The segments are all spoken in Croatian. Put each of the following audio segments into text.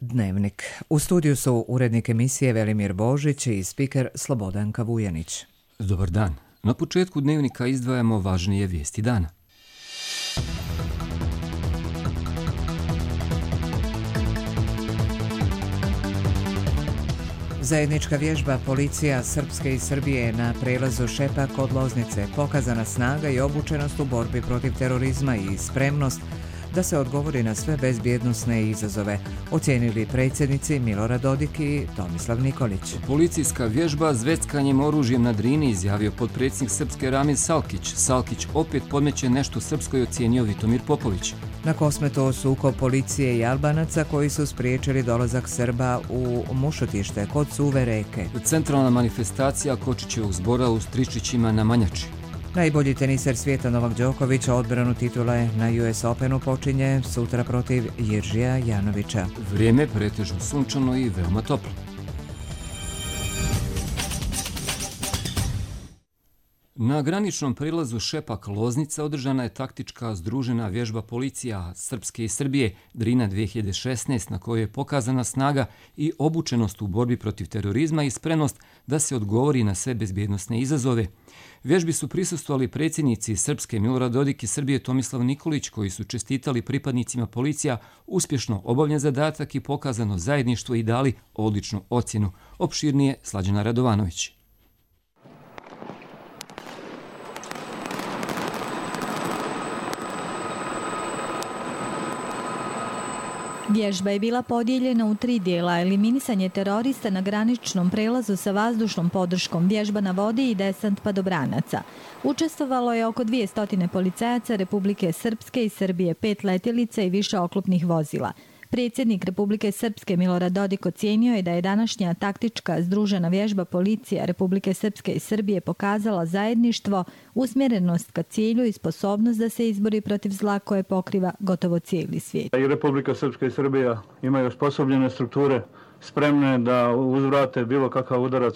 Dnevnik. U studiju su urednik emisije Velimir Božić i spiker Slobodanka Vujanić. Dobar dan. Na početku Dnevnika izdvajamo važnije vijesti dana. Zajednička vježba policija Srpske i Srbije na prelazu Šepak kod Loznice, pokazana snaga i obučenost u borbi protiv terorizma i spremnost da se odgovori na sve bezbjednosne izazove, ocijenili predsjednici Milorad Dodik i Tomislav Nikolić. Policijska vježba s veckanjem oružjem na Drini, izjavio potpredsjednik Srpske Ramil Salkić. Salkić opet podmeće nešto Srpskoj, ocijenio Vitomir Popović. Na Kosmetu sukob policije i Albanaca koji su spriječili dolazak Srba u Mušotište kod Suve reke. Centralna manifestacija Kočićevog zbora u Stričićima na Manjači. Najbolji teniser svijeta Novak Đoković odbranu titule na US Openu počinje sutra protiv Jiržija Janovića. Vrijeme pretežno sunčano i veoma toplo. Na graničnom prilazu Šepak-Loznica održana je taktička združena vježba policija Srpske i Srbije Drina 2016 na kojoj je pokazana snaga i obučenost u borbi protiv terorizma i spremnost da se odgovori na sve bezbjednosne izazove. Vježbi su prisustvovali predsjednici Srpske Milorad Dodik i Srbije Tomislav Nikolić koji su čestitali pripadnicima policija uspješno obavljen zadatak i pokazano zajedništvo i dali odličnu ocjenu. Opširnije Slađana Radovanović. Vježba je bila podijeljena u 3 dijela: eliminisanje terorista na graničnom prelazu sa vazdušnom podrškom, vježba na vodi i desant padobranaca. Učestvovalo je oko 200 policajaca Republike Srpske i Srbije, 5 letjelica i više oklopnih vozila. Predsjednik Republike Srpske Milorad Dodik ocijenio je da je današnja taktička združena vježba policija Republike Srpske i Srbije pokazala zajedništvo, usmjerenost ka cilju i sposobnost da se izbori protiv zla koje pokriva gotovo cijeli svijet. I Republika Srpska i Srbija imaju osposobljene strukture spremne da uzvrate bilo kakav udarac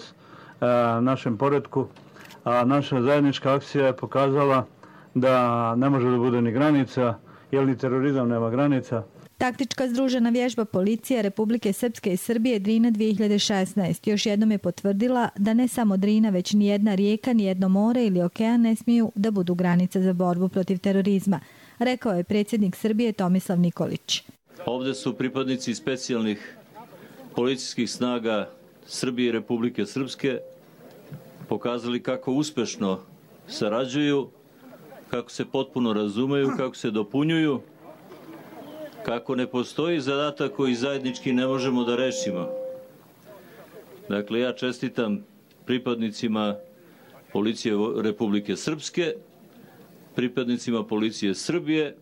našem poretku, a naša zajednička akcija je pokazala da ne može da bude ni granica, jer ni terorizam nema granica. Taktička združena vježba policija Republike Srpske i Srbije Drina 2016 još jednom je potvrdila da ne samo Drina, već ni jedna rijeka, ni jedno more ili okean ne smiju da budu granica za borbu protiv terorizma, rekao je predsjednik Srbije Tomislav Nikolić. Ovdje su pripadnici specijalnih policijskih snaga Srbije i Republike Srpske pokazali kako uspješno sarađuju, kako se potpuno razumeju, kako se dopunjuju, kako ne postoji zadatak koji zajednički ne možemo da rešimo. Dakle, ja čestitam pripadnicima policije Republike Srpske, pripadnicima policije Srbije.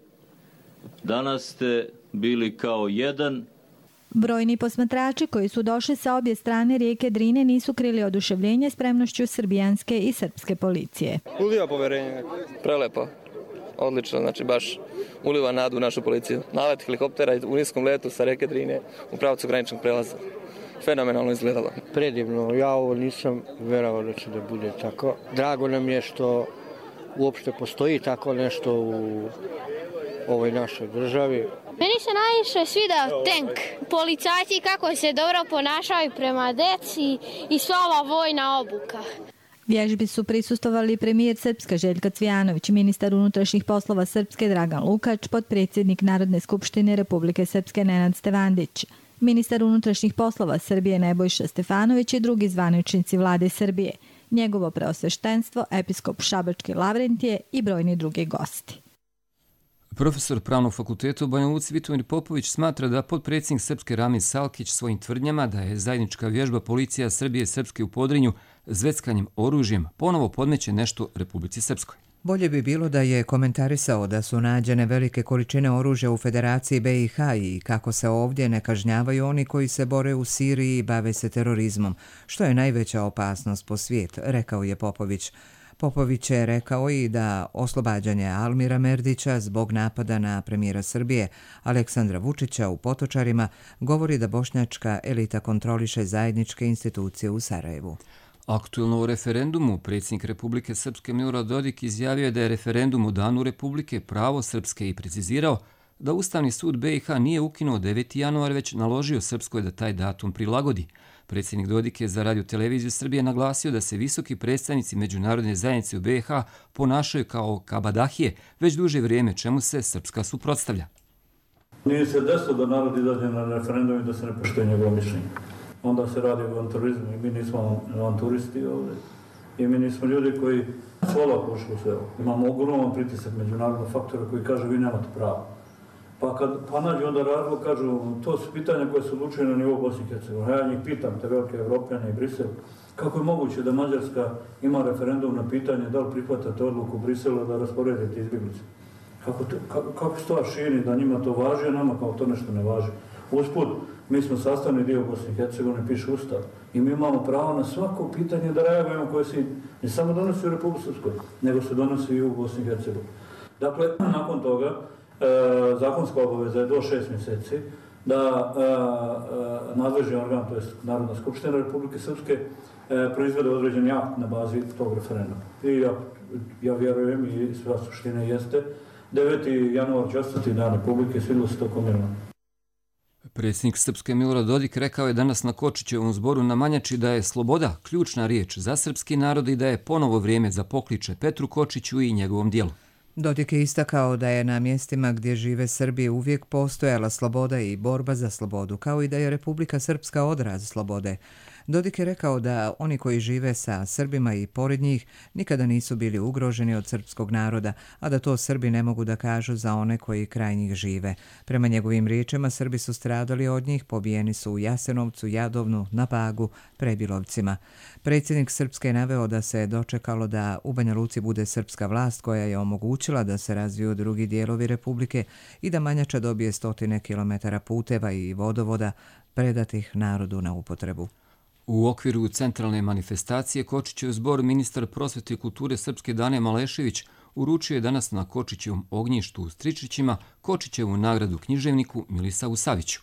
Danas ste bili kao jedan. Brojni posmatrači koji su došli sa obje strane rijeke Drine nisu krili oduševljenje spremnošću srbijanske i srpske policije. Uliva poverenje. Prelepo. Odlično, znači baš uliva nadu u našu policiju. Nalet helikoptera u niskom letu sa reke Drine u pravcu graničnog prelaza. Fenomenalno izgledalo. Predivno, ja ovo nisam verovao da će da bude tako. Drago nam je što uopšte postoji tako nešto u ovoj našoj državi. Meni se najviše svidao tank. Policajci kako se dobro ponašaju prema deci i sva ova vojna obuka. Vježbi su prisustvovali premijer Srpska Željka Cvijanović, ministar unutrašnjih poslova Srpske Dragan Lukač, potpredsjednik Narodne skupštine Republike Srpske Nenad Stevandić, ministar unutrašnjih poslova Srbije Nebojša Stefanović i drugi zvaničnici vlade Srbije, njegovo preosveštenstvo, episkop Šabački Lavrentije i brojni drugi gosti. Profesor Pravnog fakulteta u Banja Luci Vitomir Popović smatra da potpredsjednik Srpske Ramil Salkić svojim tvrdnjama da je zajednička vježba policija Srbije i Srpske u Podrinju s veckanjem oružjem ponovo podmeće nešto Republici Srpskoj. Bolje bi bilo da je komentarisao da su nađene velike količine oružja u Federaciji BiH i kako se ovdje ne kažnjavaju oni koji se bore u Siriji i bave se terorizmom, što je najveća opasnost po svijet, rekao je Popović. Popović je rekao i da oslobađanje Almira Merdića zbog napada na premijera Srbije Aleksandra Vučića u Potočarima govori da bošnjačka elita kontroliše zajedničke institucije u Sarajevu. Aktuelno o referendumu predsjednik Republike Srpske Milorad Dodik izjavio je da je referendum u Danu Republike pravo Srpske i precizirao da Ustavni sud BiH nije ukinuo 9. januar, već naložio Srpskoj da taj datum prilagodi. Predsjednik Dodik je za Radio Televiziju Srbije naglasio da se visoki predstavnici međunarodne zajednice u BiH ponašaju kao kabadahije već duže vrijeme, čemu se Srpska suprotstavlja. Nije se desilo da narod izađe na referendum i da se ne poštuje njegovo mišljenje. Onda se radi o avanturizmu i mi nismo avanturisti ovdje. I mi nismo ljudi koji svola pošli u sve ovo. Imamo ogroman pritisak međunarodnog faktora koji kaže vi nemate pravo. Pa nađu onda razlog, kažu, to su pitanja koje su odlučene na nivou Bosne i Hercegovine. Ja njih pitam, te velike Evropljane i Brisel, kako je moguće da Mađarska ima referendum na pitanje da li prihvatate odluku Brisela da rasporedite izbjeglice? Kako se to širi da njima to važi, a nama kao to nešto ne važi? Usput, mi smo sastavni dio Bosne i Hercegovine, piše Ustav. I mi imamo pravo na svako pitanje da reagujemo koje se ne samo donosi u Republiku Srpskoj, nego se donosi i u Bosni i Hercegovini. Dakle, nakon toga, zakonska obaveza je do 6 mjeseci da nadležni organ, to je Narodna skupština Republike Srpske, proizvede određeni akt na bazi tog referenduma. I ja vjerujem i sva suština jeste, 9. januar će ostati dan Republike, svidilo se to komirno. Predsjednik Srpske Milorad Dodik rekao je danas na Kočićevom zboru na Manjači da je sloboda ključna riječ za srpski narod i da je ponovo vrijeme za pokliče Petru Kočiću i njegovom dijelu. Dodik je istakao da je na mjestima gdje žive Srbi uvijek postojala sloboda i borba za slobodu, kao i da je Republika Srpska odraz slobode. Dodik je rekao da oni koji žive sa Srbima i pored njih nikada nisu bili ugroženi od srpskog naroda, a da to Srbi ne mogu da kažu za one koji kraj njih žive. Prema njegovim riječima, Srbi su stradali od njih, pobijeni su u Jasenovcu, Jadovnu, na Pagu, Prebilovcima. Predsjednik Srpske je naveo da se dočekalo da u Banja Luci bude srpska vlast koja je omogućila da se razviju drugi dijelovi Republike i da Manjača dobije 100 kilometara puteva i vodovoda predatih narodu na upotrebu. U okviru centralne manifestacije Kočićev zbor ministar prosvete i kulture Srpske Dane Malešević uručio je danas na Kočićevom ognjištu u Stričićima Kočićevu nagradu književniku Milisavu Saviću.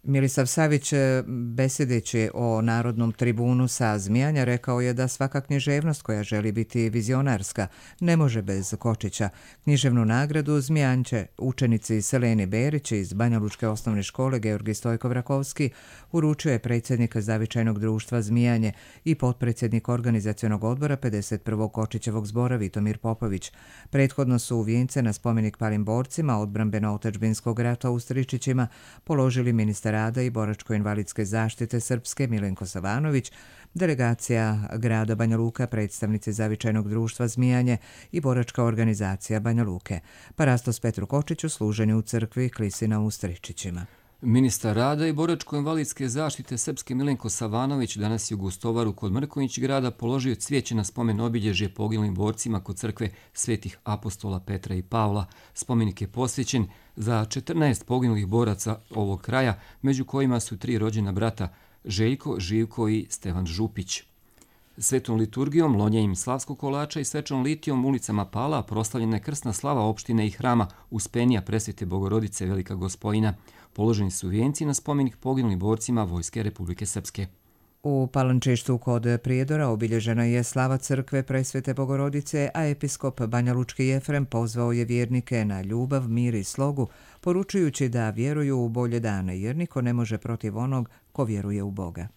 Milisav Savić, besedeći o Narodnom tribunu sa Zmijanja, rekao je da svaka književnost koja želi biti vizionarska ne može bez Kočića. Književnu nagradu Zmijanče učenici Seleni Berić iz Banja Lučke osnovne škole Georgij Stojkov-Rakovski uručio je predsjednik Zavičajnog društva Zmijanje i potpredsjednik organizacionog odbora 51. Kočićevog zbora Vitomir Popović. Prethodno su vijence na spomenik palim borcima odbrambeno-otadžbinskog rata u Stričićima položili ministar rada i boračko-invalidske zaštite Srpske Milenko Savanović, delegacija grada Banja Luka, predstavnici Zavičajnog društva Zmijanje i boračka organizacija Banja Luke. Parastos Petru Kočiću služenju u crkvi Klisina u Stričićima. Ministar rada i boračko-invalidske zaštite Srpske Milenko Savanović danas je u Gostovaru kod Mrkonjić grada položio cvijeće na spomen obilježje poginulim borcima kod crkve Svetih apostola Petra i Pavla. Spomenik je posvećen za 14 poginulih boraca ovog kraja, među kojima su 3 rođena brata Željko, Živko i Stevan Župić. Svetom liturgijom, lonjenjem slavskog kolača i svečanom litijom ulicama Pala proslavljena je krsna slava opštine i hrama Uspenija Presvete Bogorodice Velika Gospojina. Položeni su vijenci na spomenik poginulim borcima Vojske Republike Srpske. U Palančištu kod Prijedora obilježena je slava crkve Presvete Bogorodice, a episkop Banja Lučki Jefrem pozvao je vjernike na ljubav, mir i slogu, poručujući da vjeruju u bolje dane, jer niko ne može protiv onog ko vjeruje u Boga.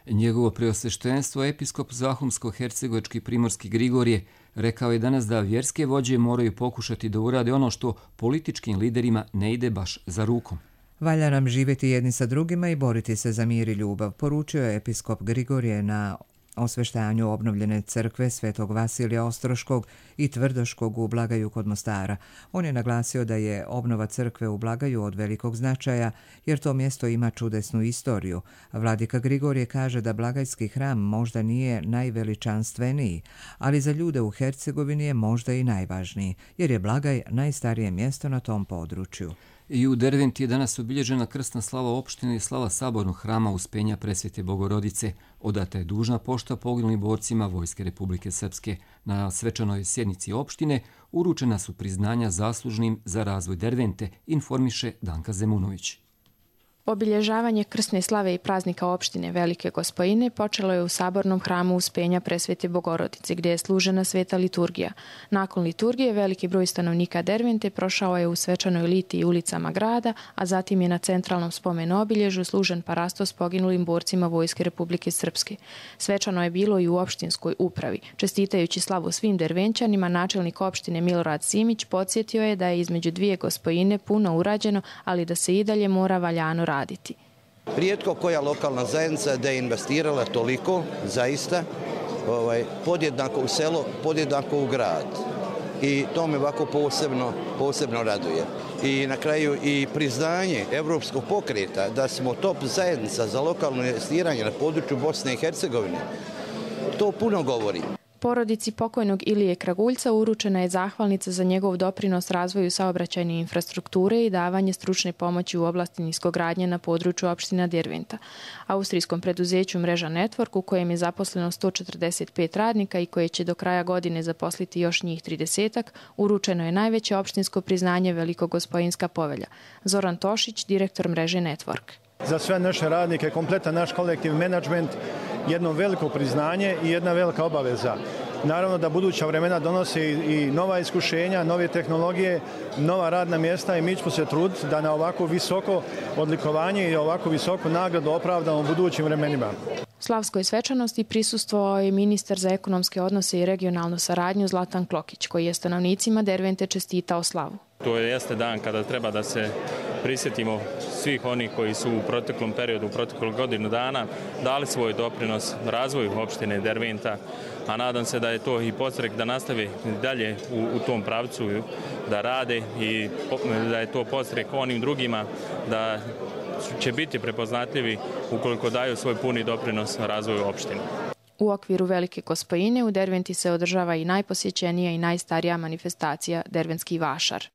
Njegovo preosveštenstvo, episkop Zahumsko-hercegovački Primorski Grigorije, rekao je danas da vjerske vođe moraju pokušati da urade ono što političkim liderima ne ide baš za rukom. Valja nam živjeti jedni sa drugima i boriti se za mir i ljubav, poručio je episkop Grigorije na osveštanju obnovljene crkve Svetog Vasilija Ostroškog i Tvrdoškog u Blagaju kod Mostara. On je naglasio da je obnova crkve u Blagaju od velikog značaja, jer to mjesto ima čudesnu istoriju. Vladika Grigorije kaže da Blagajski hram možda nije najveličanstveniji, ali za ljude u Hercegovini je možda i najvažniji, jer je Blagaj najstarije mjesto na tom području. I u Derventi je danas obilježena krsna slava opštine i slava sabornog hrama Uspenja Presvete Bogorodice. Odata je dužna pošta poginulim borcima Vojske Republike Srpske. Na svečanoj sjednici opštine uručena su priznanja zaslužnim za razvoj Dervente, informiše Danka Zemunović. Obilježavanje krsne slave i praznika opštine Velike Gospojine počelo je u sabornom hramu Uspenja Presvete Bogorodice, gdje je služena sveta liturgija. Nakon liturgije veliki broj stanovnika Dervente prošao je u svečanoj litiji ulicama grada, a zatim je na centralnom spomenu obilježju služen parastos poginulim borcima Vojske Republike Srpske. Svečano je bilo i u opštinskoj upravi. Čestitajući slavu svim Dervenčanima, načelnik opštine Milorad Simić podsjetio je da je između dvije Gospojine puno urađeno, ali da se i dalje mora valjano raditi. Rijetko koja lokalna zajednica da je investirala toliko, zaista, podjednako u selo, podjednako u grad. I to me ovako posebno raduje. I na kraju i priznanje Evropskog pokreta da smo top zajednica za lokalno investiranje na području Bosne i Hercegovine, to puno govori. Porodici pokojnog Ilije Kraguljca uručena je zahvalnica za njegov doprinos razvoju saobraćajne infrastrukture i davanje stručne pomoći u oblasti niskogradnje na području opština Derventa. Austrijskom preduzeću Mreža Network, u kojem je zaposleno 145 radnika i koje će do kraja godine zaposliti još njih 30-ak, uručeno je najveće opštinsko priznanje Velikogospojinska povelja. Zoran Tošić, direktor Mreže Network. Za sve naše radnike, kompletan naš kolektiv menadžment, jedno veliko priznanje i jedna velika obaveza. Naravno da buduća vremena donose i nova iskušenja, nove tehnologije, nova radna mjesta i mi ćemo se truditi da na ovako visoko odlikovanje i ovako visoku nagradu opravdamo u budućim vremenima. Slavskoj svečanosti prisustvovao je ministar za ekonomske odnose i regionalnu saradnju Zlatan Klokić, koji je stanovnicima Dervente čestitao slavu. To jeste dan kada treba da se prisjetimo svih onih koji su u proteklom periodu, u proteklom godinu dana dali svoj doprinos razvoju opštine Derventa, a nadam se da je to i podstrek da nastavi dalje u tom pravcu da rade i da je to podstrek onim drugima da će biti prepoznatljivi ukoliko daju svoj puni doprinos razvoju opštine. U okviru Velike Gospojine u Derventi se održava i najposjećenija i najstarija manifestacija Derventski vašar.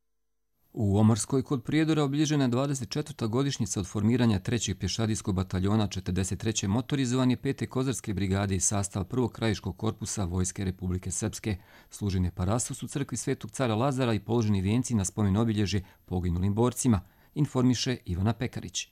U Omorskoj kod Prijedora obilježena je 24. godišnjica od formiranja 3. pješadijskog bataljona 43. motorizovane 5. kozarske brigade iz sastava 1. krajiškog korpusa Vojske Republike Srpske. Služen je parastos u crkvi Svetog cara Lazara i položeni vijenci na spomen obilježje poginulim borcima, informiše Ivana Pekarić.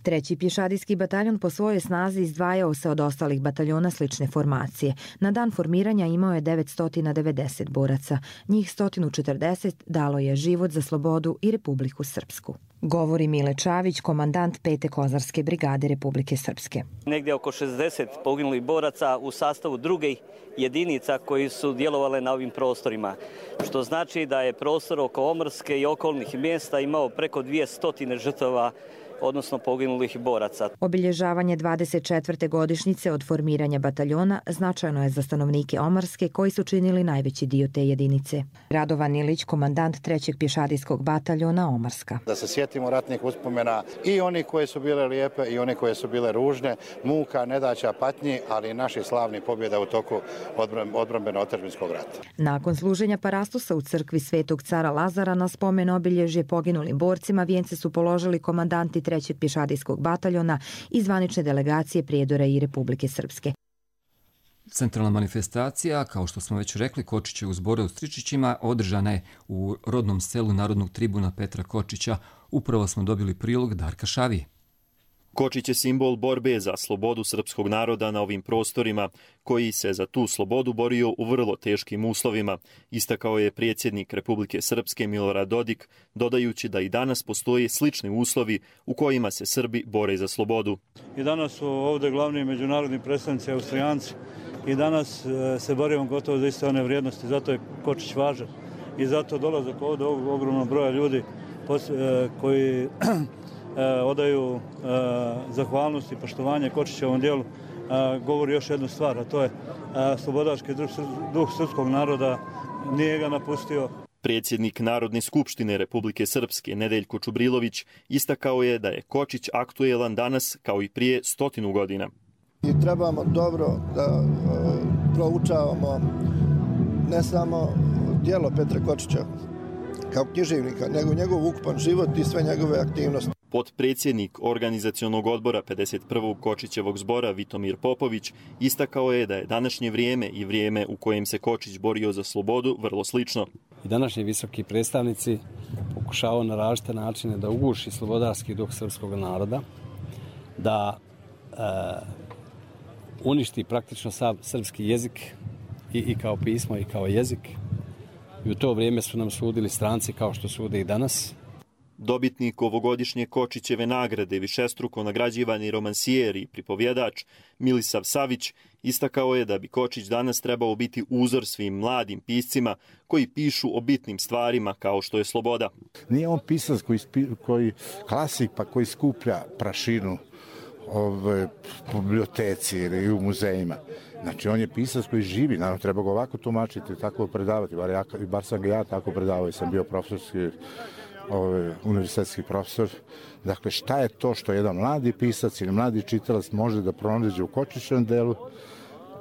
3. pješadijski bataljon po svojoj snazi izdvajao se od ostalih bataljona slične formacije. Na dan formiranja imao je 990 boraca. Njih 140 dalo je život za slobodu i Republiku Srpsku. Govori Mile Čavić, komandant 5. kozarske brigade Republike Srpske. Negdje oko 60 poginulih boraca u sastavu drugih jedinica koji su djelovale na ovim prostorima. Što znači da je prostor oko Omrske i okolnih mjesta imao preko 200 žrtava, odnosno poginulih boraca. Obilježavanje 24. godišnjice od formiranja bataljona značajno je za stanovnike Omrske koji su činili najveći dio te jedinice. Radovan Ilić, komandant 3. pješadijskog bataljona Omrska. Da se sjetimo ratnih uspomena i oni koje su bile lijepe i one koje su bile ružne, muka, nedaća, patnji, ali i naših slavnih pobjeda u toku odbrambeno-otadžbinskog rata. Nakon služenja parastosa u crkvi Svetog cara Lazara na spomen obilježje poginulim borcima vijence su položili komandanti 3. pješadijskog bataljona i zvanične delegacije Prijedora i Republike Srpske. Centralna manifestacija, kao što smo već rekli, Kočićevu zbore u Stričićima, održana je u rodnom selu Narodnog tribuna Petra Kočića. Upravo smo dobili prilog Darka Šavije. Kočić je simbol borbe za slobodu srpskog naroda na ovim prostorima, koji se za tu slobodu borio u vrlo teškim uslovima, istakao je predsjednik Republike Srpske Milorad Dodik, dodajući da i danas postoje slični uslovi u kojima se Srbi bore za slobodu. I danas su ovdje glavni međunarodni predstavnici Austrijanci i danas se borimo gotovo za iste one vrijednosti, zato je Kočić važan i zato dolazak ovdje ovog ogromnog broja ljudi koji odaju zahvalnost i poštovanje Kočićevom dijelu, govori još jednu stvar, a to je slobodački duh srpskog naroda nije ga napustio. Predsjednik Narodne skupštine Republike Srpske Nedeljko Čubrilović istakao je da je Kočić aktuelan danas kao i prije 100 godina. I trebamo dobro da proučavamo ne samo djelo Petra Kočića kao književnika, nego njegov ukupan život i sve njegove aktivnosti. Potpredsjednik organizacionog odbora 51. Kočićevog zbora Vitomir Popović istakao je da je današnje vrijeme i vrijeme u kojem se Kočić borio za slobodu vrlo slično. i današnji visoki predstavnici pokušavaju na različite načine da uguši slobodarski duh srpskog naroda, da uništi praktično sav srpski jezik i kao pismo i kao jezik. I u to vrijeme su nam sudili stranci kao što sude i danas. Dobitnik ovogodišnje Kočićeve nagrade, višestruko nagrađivani romansijer i pripovjedač Milisav Savić istakao je da bi Kočić danas trebao biti uzor svim mladim piscima koji pišu o bitnim stvarima kao što je sloboda. Nije on pisac koji klasik pa koji skuplja prašinu u biblioteci ili u muzejima. Znači, on je pisac koji živi, naravno treba ga ovako tumačiti, tako predavati, bar sam ga ja tako predavao i sam bio profesorski univerzitetski profesor. Dakle, šta je to što jedan mladi pisac ili mladi čitalac može da pronađe u Kočićevom delu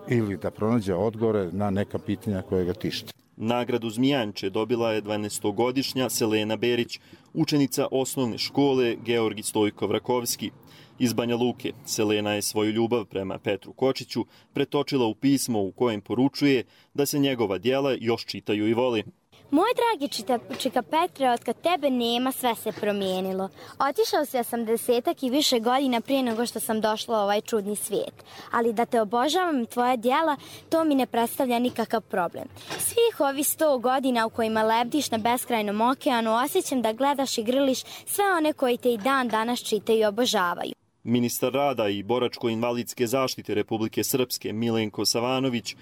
ili da pronađe odgovore na neka pitanja koje ga tište. Nagradu Zmijanče dobila je 12-godišnja Selena Berić, učenica osnovne škole Georgi Stojkov-Rakovski. Iz Banja Luke, Selena je svoju ljubav prema Petru Kočiću pretočila u pismo u kojem poručuje da se njegova djela još čitaju i voli. Moj dragi čika Petre, otkad tebe nema, sve se promijenilo. Otišao si 80 i više godina prije nego što sam došla u ovaj čudni svijet. Ali da te obožavam tvoje djela, to mi ne predstavlja nikakav problem. Svih ovih 100 godina u kojima lebdiš na beskrajnom okeanu, osjećam da gledaš i grliš sve one koji te i dan danas čitaju i obožavaju. Ministar rada i boračko-invalidske zaštite Republike Srpske Milenko Savanović,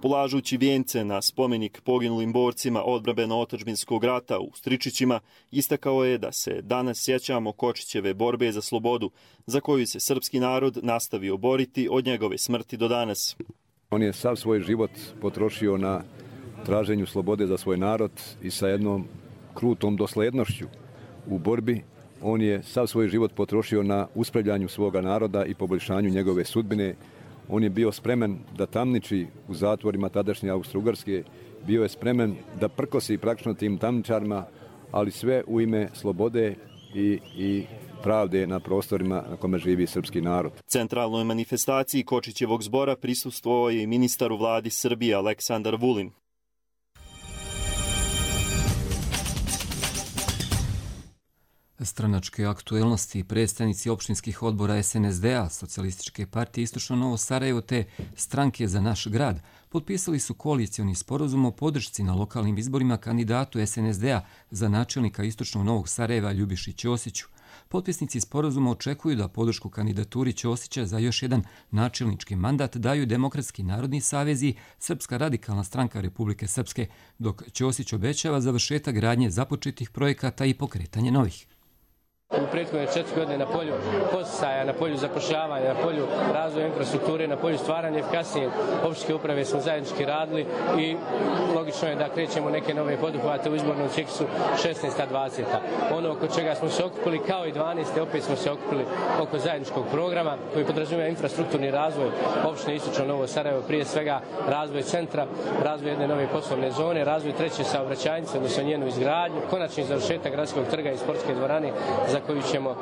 polažući vijence na spomenik poginulim borcima odbrambeno-otadžbinskog rata u Stričićima, istakao je da se danas sjećamo Kočićeve borbe za slobodu, za koju se srpski narod nastavio boriti od njegove smrti do danas. On je sav svoj život potrošio na traženju slobode za svoj narod i sa jednom krutom doslednošću u borbi. On je sav svoj život potrošio na uspravljanju svoga naroda i poboljšanju njegove sudbine. On je bio spreman da tamniči u zatvorima tadašnje Austro-Ugarske, bio je spreman da prkosi praktično tim tamničarima, ali sve u ime slobode i pravde na prostorima na kome živi srpski narod. Centralnoj manifestaciji Kočićevog zbora prisustvovao je i ministar u vladi Srbije Aleksandar Vulin. Stranačke aktuelnosti i predstavnici opštinskih odbora SNSD-a, Socijalističke partije Istočno Novo Sarajevo te Stranke za naš grad potpisali su koalicioni sporazum o podršci na lokalnim izborima kandidatu SNSD-a za načelnika Istočnog Novog Sarajeva Ljubiši Ćosiću. Potpisnici sporazuma očekuju da podršku kandidaturi Ćosića za još jedan načelnički mandat daju Demokratski narodni savez i Srpska radikalna stranka Republike Srpske, dok Ćosić obećava završetak gradnje započetih projekata i pokretanje novih. U prethodne 4 godine na polju podsticaja, na polju zapošljavanja, na polju razvoja infrastrukture, na polju stvaranja efikasnije opštinske uprave smo zajednički radili i logično je da krećemo neke nove poduhvate u izbornom ciklusu 16-20. Ono oko čega smo se okupili kao i 12. opet smo se okupili oko zajedničkog programa koji podrazumijeva infrastrukturni razvoj opštine Istočno Novo Sarajevo, prije svega razvoj centra, razvoj jedne nove poslovne zone, razvoj treće saobraćajnice, odnosno njenu izgradnju, konačni završetak gradskog trga i sportske dvorane za koju ćemo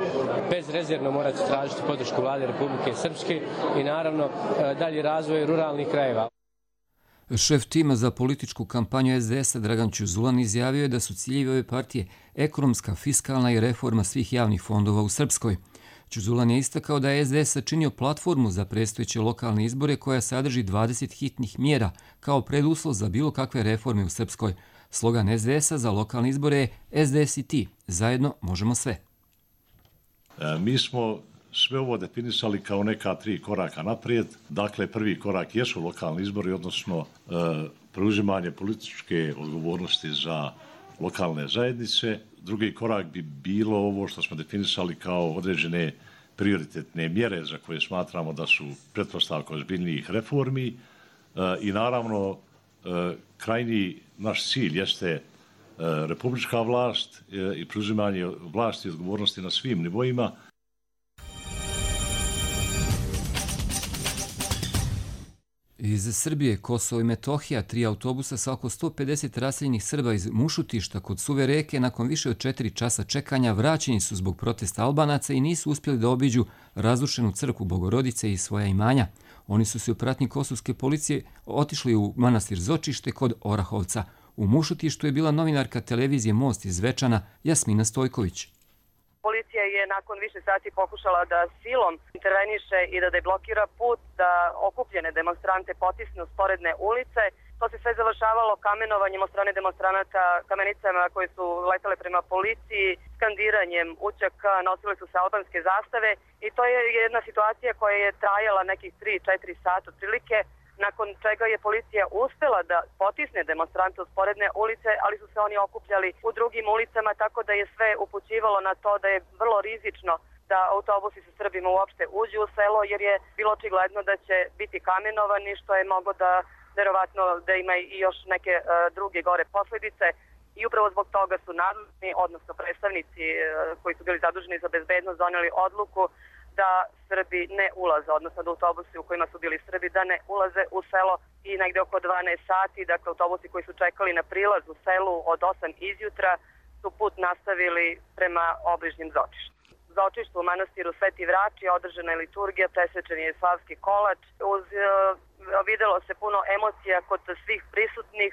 bezrezervno morati tražiti podršku vlade Republike Srpske i naravno dalji razvoj ruralnih krajeva. Šef tima za političku kampanju SDS-a Dragan Ćuzulan izjavio je da su ciljevi ove partije ekonomska, fiskalna i reforma svih javnih fondova u Srpskoj. Ćuzulan je istakao da je SDS sačinio platformu za predstojeće lokalne izbore koja sadrži 20 hitnih mjera kao preduslov za bilo kakve reforme u Srpskoj. Slogan SDS-a za lokalne izbore je SDS i ti, zajedno možemo sve. Mi smo sve ovo definisali kao neka 3 koraka naprijed. Dakle, prvi korak jesu lokalni izbori, odnosno preuzimanje političke odgovornosti za lokalne zajednice. Drugi korak bi bilo ovo što smo definisali kao određene prioritetne mjere za koje smatramo da su pretpostavka ozbiljnijih reformi. I naravno, krajnji naš cilj jeste republička vlast i preuzimanje vlasti i odgovornosti na svim nivoima. Iz Srbije, Kosovo i Metohija, 3 autobusa sa oko 150 raseljenih Srba iz Mušutišta kod Suve reke nakon više od 4 časa čekanja vraćeni su zbog protesta Albanaca i nisu uspjeli da obiđu razrušenu crkvu Bogorodice i svoja imanja. Oni su se u pratnji kosovske policije otišli u manastir Zočište kod Orahovca. U Mušutištu je bila novinarka televizije Most iz Zvečana Jasmina Stojković. Policija je nakon više sati pokušala da silom interveniše i da deblokira put, da okupljene demonstrante potisnu sporedne ulice. To se sve završavalo kamenovanjem od strane demonstranata, kamenicama koje su letale prema policiji, skandiranjem učaka, nosile su se albanske zastave i to je jedna situacija koja je trajala nekih 3-4 sata otprilike, nakon čega je policija uspela da potisne demonstrante u sporedne ulice, ali su se oni okupljali u drugim ulicama, tako da je sve upućivalo na to da je vrlo rizično da autobusi sa Srbima uopšte uđu u selo, jer je bilo očigledno da će biti kamenovani, što je moglo da verovatno da ima i još neke druge gore posledice. I upravo zbog toga su nadležni, odnosno predstavnici koji su bili zaduženi za bezbednost, doneli odluku da Srbi ne ulaze, odnosno da autobusi u kojima su bili Srbi da ne ulaze u selo i negde oko 12 sati, dakle autobusi koji su čekali na prilaz u selu od 8 izjutra su put nastavili prema obližnjim Zočištu. Zočištu u manastiru Sveti Vrači održana je liturgija, presvečen je slavski kolač. Videlo se puno emocija kod svih prisutnih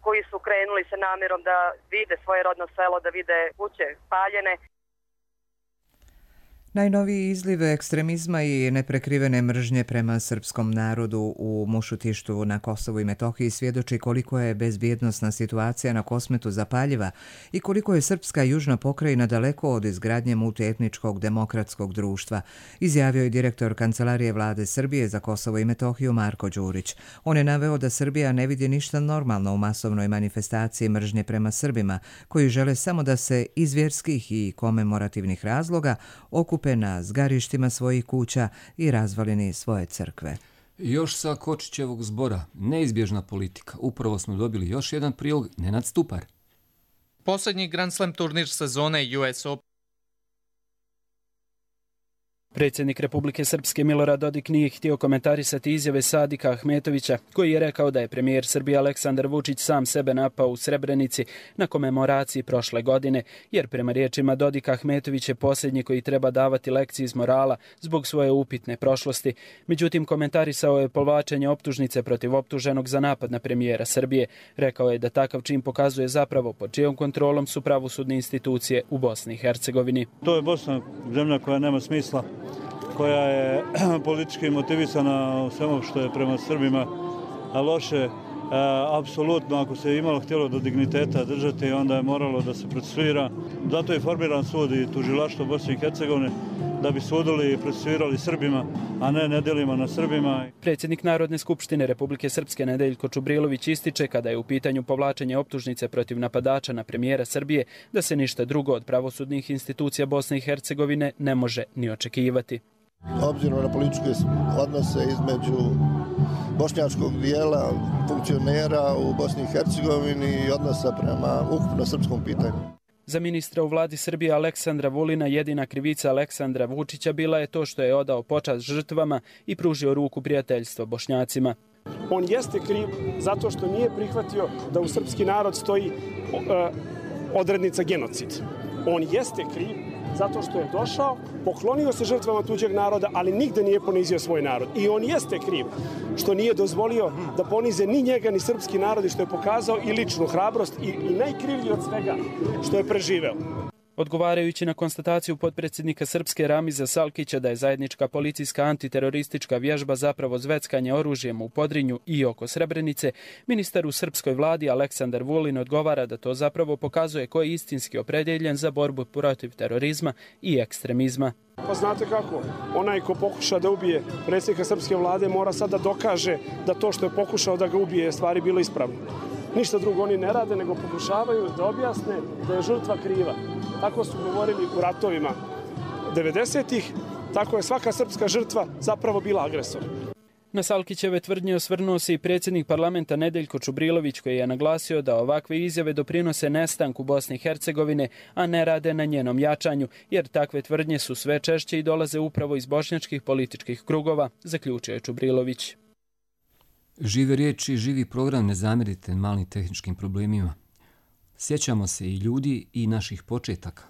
koji su krenuli sa namjerom da vide svoje rodno selo, da vide kuće paljene. Najnoviji izliv ekstremizma i neprekrivene mržnje prema srpskom narodu u Mušutištu na Kosovu i Metohiji svjedoči koliko je bezbjednosna situacija na Kosmetu zapaljiva i koliko je srpska južna pokrajina daleko od izgradnje multietničkog demokratskog društva, izjavio je direktor Kancelarije vlade Srbije za Kosovo i Metohiju Marko Đurić. On je naveo da Srbija ne vidi ništa normalno u masovnoj manifestaciji mržnje prema Srbima, koji žele samo da se iz vjerskih i komemorativnih razloga okupe na zgarištima svojih kuća i razvalini svoje crkve. Još sa Kočićevog zbora, neizbježna politika. Upravo smo dobili još jedan prilog, Nenad Stupar. Posljednji Grand Slam turnir sezone US Open. Predsjednik Republike Srpske Milorad Dodik nije htio komentarisati izjave Sadika Ahmetovića, koji je rekao da je premijer Srbije Aleksandar Vučić sam sebe napao u Srebrenici na komemoraciji prošle godine, jer prema riječima Dodika Ahmetović je posljednji koji treba davati lekcije iz morala zbog svoje upitne prošlosti. Međutim, komentarisao je povlačenje optužnice protiv optuženog za napad na premijera Srbije. Rekao je da takav čin pokazuje zapravo pod čijom kontrolom su pravosudne institucije u Bosni i Hercegovini. To je Bosna, zemlja koja nema smisla, koja je politički motivisana svemu što je prema Srbima loše. Apsolutno, ako se imalo htjelo do digniteta držati, onda je moralo da se procesuira. Zato je formiran sud i tužilaštvo Bosne i Hercegovine da bi sudili i procesuirali Srbima, a ne nedjelima na Srbima. Predsjednik Narodne skupštine Republike Srpske Nedeljko Čubrilović ističe, kada je u pitanju povlačenje optužnice protiv napadača na premijera Srbije, da se ništa drugo od pravosudnih institucija Bosne i Hercegovine ne može ni očekivati. Obzirom na političke odnose između bošnjačkog dijela funkcionera u Bosni i Hercegovini i odnosa prema ukupno srpskom pitanju. Za ministra u vladi Srbije Aleksandra Vulina jedina krivica Aleksandra Vučića bila je to što je odao počast žrtvama i pružio ruku prijateljstva Bošnjacima. On jeste kriv zato što nije prihvatio da u srpski narod stoji odrednica genocid. On jeste kriv zato što je došao, poklonio se žrtvama tuđeg naroda, ali nigde nije ponizio svoj narod. I on jeste kriv što nije dozvolio da ponize ni njega, ni srpski narod, i što je pokazao i ličnu hrabrost i najkrivlji od svega što je preživeo. Odgovarajući na konstataciju potpredsjednika Srpske Ramiza Salkića da je zajednička policijska antiteroristička vježba zapravo zveckanje oružjem u Podrinju i oko Srebrenice, ministar u srpskoj vladi Aleksandar Vulin odgovara da to zapravo pokazuje ko je istinski opredjeljen za borbu protiv terorizma i ekstremizma. Pa znate kako, onaj ko pokuša da ubije predsjednika srpske vlade mora sad da dokaže da to što je pokušao da ga ubije je stvari bilo ispravno. Ništa drugo oni ne rade, nego pokušavaju da objasne da je žrtva kriva. Tako su govorili u ratovima 90-ih, tako je svaka srpska žrtva zapravo bila agresor. Na Salkićeve tvrdnje osvrnuo se i predsjednik parlamenta Nedeljko Čubrilović, koji je naglasio da ovakve izjave doprinose nestanku Bosne i Hercegovine, a ne rade na njenom jačanju, jer takve tvrdnje su sve češće i dolaze upravo iz bošnjačkih političkih krugova, zaključio je Čubrilović. Žive riječi i živi program, ne zamjerite malim tehničkim problemima. Sjećamo se i ljudi i naših početaka.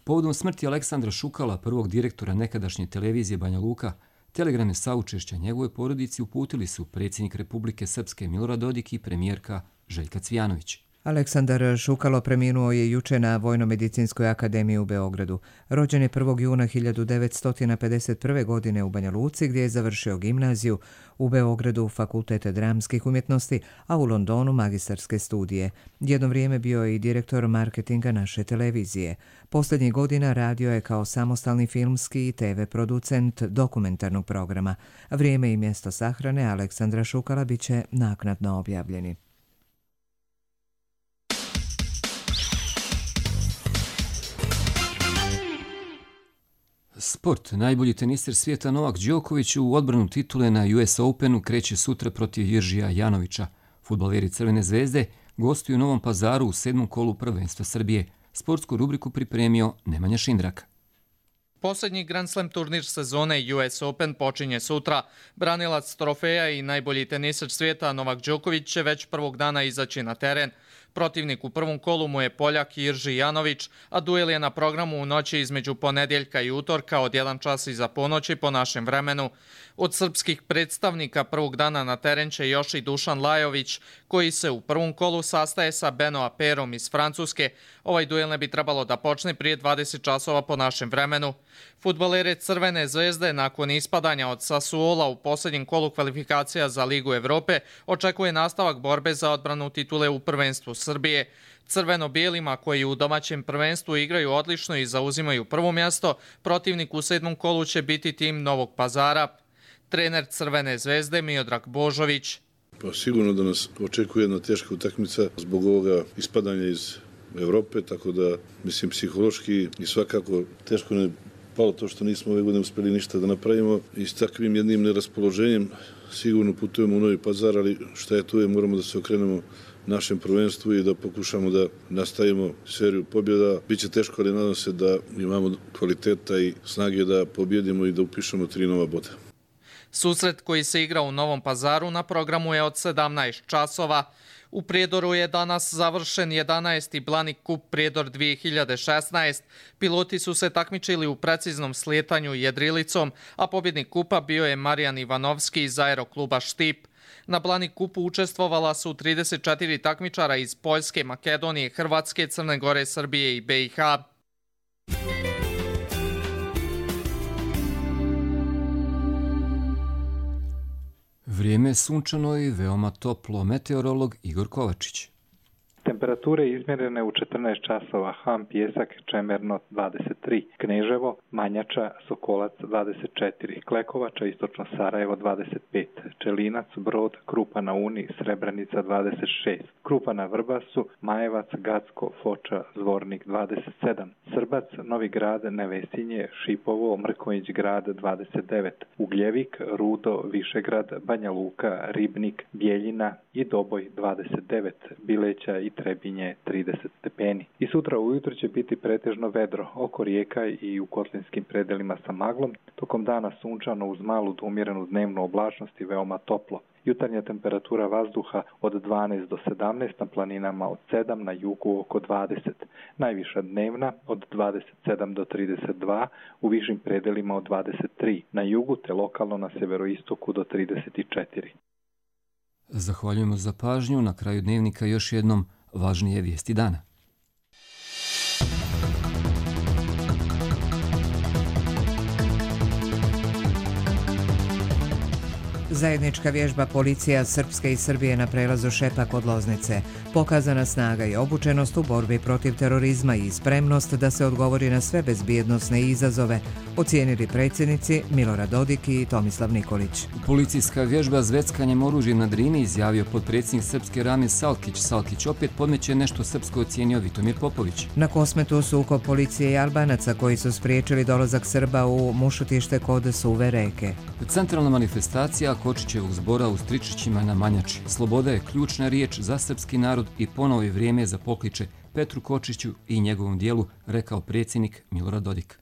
Povodom smrti Aleksandra Šukala, prvog direktora nekadašnje televizije Banja Luka, telegrame saučešća njegove porodici uputili su predsjednik Republike Srpske Milorad Dodik i premijerka Željka Cvijanović. Aleksandar Šukalo preminuo je juče na Vojno-medicinskoj akademiji u Beogradu. Rođen je 1. juna 1951. godine u Banja Luci, gdje je završio gimnaziju, u Beogradu Fakultet dramskih umjetnosti, a u Londonu magistarske studije. Jedno vrijeme bio je i direktor marketinga naše televizije. Posljednjih godina radio je kao samostalni filmski i TV producent dokumentarnog programa. Vrijeme i mjesto sahrane Aleksandra Šukala bit će naknadno objavljeni. Sport. Najbolji teniser svijeta Novak Đoković u odbranu titule na US Openu kreće sutra protiv Jiržija Janovića. Fudbaleri Crvene zvezde gostuju u Novom Pazaru u 7. kolu prvenstva Srbije. Sportsku rubriku pripremio Nemanja Šindrak. Posljednji Grand Slam turnir sezone US Open počinje sutra. Branilac trofeja i najbolji tenisač svijeta Novak Đoković će već prvog dana izaći na teren. Protivnik u prvom kolu mu je Poljak Jirži Janović, a duel je na programu u noći između ponedjeljka i utorka od 1 čas iza ponoći po našem vremenu. Od srpskih predstavnika prvog dana na teren će još i Dušan Lajović, koji se u prvom kolu sastaje sa Benoit Pairom iz Francuske. Ovaj duel ne bi trebalo da počne prije 20 časova po našem vremenu. Fudbalere Crvene zvezde nakon ispadanja od Sassuola u posljednjem kolu kvalifikacija za Ligu Evrope očekuje nastavak borbe za odbranu titule u prvenstvu Srbije. Crveno-bijelima koji u domaćem prvenstvu igraju odlično i zauzimaju prvo mjesto, protivnik u 7. kolu će biti tim Novog Pazara. Trener Crvene zvezde Miodrag Božović. Pa sigurno da nas očekuje jedna teška utakmica zbog ovoga ispadanja iz Evrope, tako da mislim psihološki i svakako teško ne palo to što nismo ove godine uspjeli ništa da napravimo i s takvim jednim neraspoloženjem sigurno putujemo u Novi Pazar, ali šta je tu je, moramo da se okrenemo našem prvenstvu i da pokušamo da nastavimo seriju pobjeda. Biće teško, ali nadam se da imamo kvaliteta i snage da pobjedimo i da upišemo 3 nova boda. Susret koji se igra u Novom Pazaru na programu je od 17 časova. U Prijedoru je danas završen 11. Blanik Kup Prijedor 2016. Piloti su se takmičili u preciznom slijetanju jedrilicom, a pobjednik kupa bio je Marijan Ivanovski iz aerokluba Štip. Na Blanik Kupu učestvovala su 34 takmičara iz Poljske, Makedonije, Hrvatske, Crne Gore, Srbije i BiH. Vrijeme je sunčano i veoma toplo. Meteorolog Igor Kovačić. Temperature izmjerene u 14 časova: Ham, Pjesak, Čemerno 23, Kneževo, Manjača, Sokolac 24, Klekovača, Istočno Sarajevo 25, Čelinac, Brod, Krupa na Uni, Srebrenica 26, Krupa na Vrbasu, Majevac, Gacko, Foča, Zvornik 27, Srbac, Novi Grad, Nevesinje, Šipovo, Mrkonjić Grad 29, Ugljevik, Rudo, Višegrad, Banja Luka, Ribnik, Bjeljina i Doboj 29, Bileća i Trebinje 30 stepeni. I sutra ujutro će biti pretežno vedro, oko rijeka i u kotlinskim predelima sa maglom, tokom dana sunčano uz malu do umjerenu dnevnu oblačnost i veoma toplo. Jutarnja temperatura vazduha od 12 do 17, na planinama od 7, na jugu oko 20. Najviša dnevna od 27 do 32, u višim predelima od 23, na jugu te lokalno na severoistoku do 34. Zahvaljujemo za pažnju. Na kraju dnevnika još jednom važnije vijesti dana. Zajednička vježba policija Srpske i Srbije na prelazu Šepak kod Loznice. Pokazana snaga i obučenost u borbi protiv terorizma i spremnost da se odgovori na sve bezbjednosne izazove, ocijenili predsjednici Milorad Dodik i Tomislav Nikolić. Policijska vježba s veckanjem oružjem na Drini izjavio potpredsjednik Srpske Rami Salkić. Salkić opet podmeće nešto srpsko, ocijenio Vitomir Popović. Na Kosmetu sukob policije i Albanaca koji su spriječili dolazak Srba u Mušutište kod Suve reke. Centralna manifestacija Kočićevog zbora u Stričićima na Manjači. Sloboda je ključna riječ za srpski narod i ponovo je vrijeme za pokliče Petru Kočiću i njegovom dijelu, rekao predsjednik Milorad Dodik.